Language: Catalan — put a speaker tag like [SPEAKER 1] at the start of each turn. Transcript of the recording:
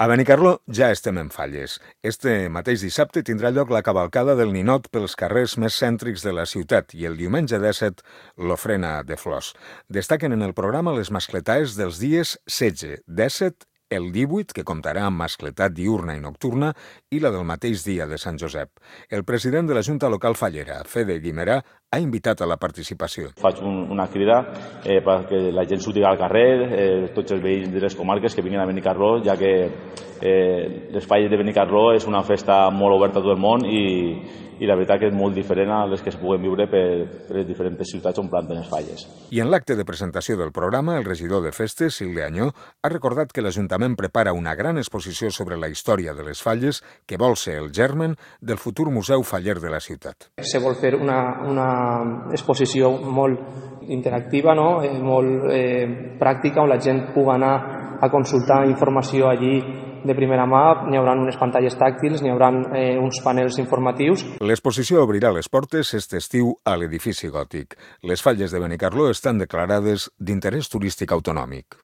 [SPEAKER 1] A Benicarló ja estem en falles. Este mateix dissabte tindrà lloc la cavalcada del ninot pels carrers més cèntrics de la ciutat i el diumenge 17 l'ofrena de flors. Destaquen en el programa les mascletaes dels dies 16, 17, el 18, que comptarà amb mascletat diurna i nocturna, i la del mateix dia de Sant Josep. El president de la Junta Local Fallera, Fede Guimerà, ha invitat a la participació.
[SPEAKER 2] Faig una crida perquè la gent surti al carrer, tots els veïns de les comarques que vinguin a Benicarló, ja que les falles de Benicarló és una festa molt oberta a tot el món i la veritat que és molt diferent a les que es puguen viure per les diferents ciutats on planten les falles.
[SPEAKER 1] I en l'acte de presentació del programa, el regidor de Festes, Silvia Añó, ha recordat que l'Ajuntament prepara una gran exposició sobre la història de les falles que vol ser el germen del futur Museu Faller de la ciutat.
[SPEAKER 3] Se vol fer una exposició molt interactiva, no? Molt pràctica, on la gent pugui anar a consultar informació allí de primera mà. N'hi haurà unes pantalles tàctils, n'hi haurà uns panels informatius.
[SPEAKER 1] L'exposició obrirà les portes aquest estiu a l'edifici gòtic. Les falles de Benicarló estan declarades d'interès turístic autonòmic.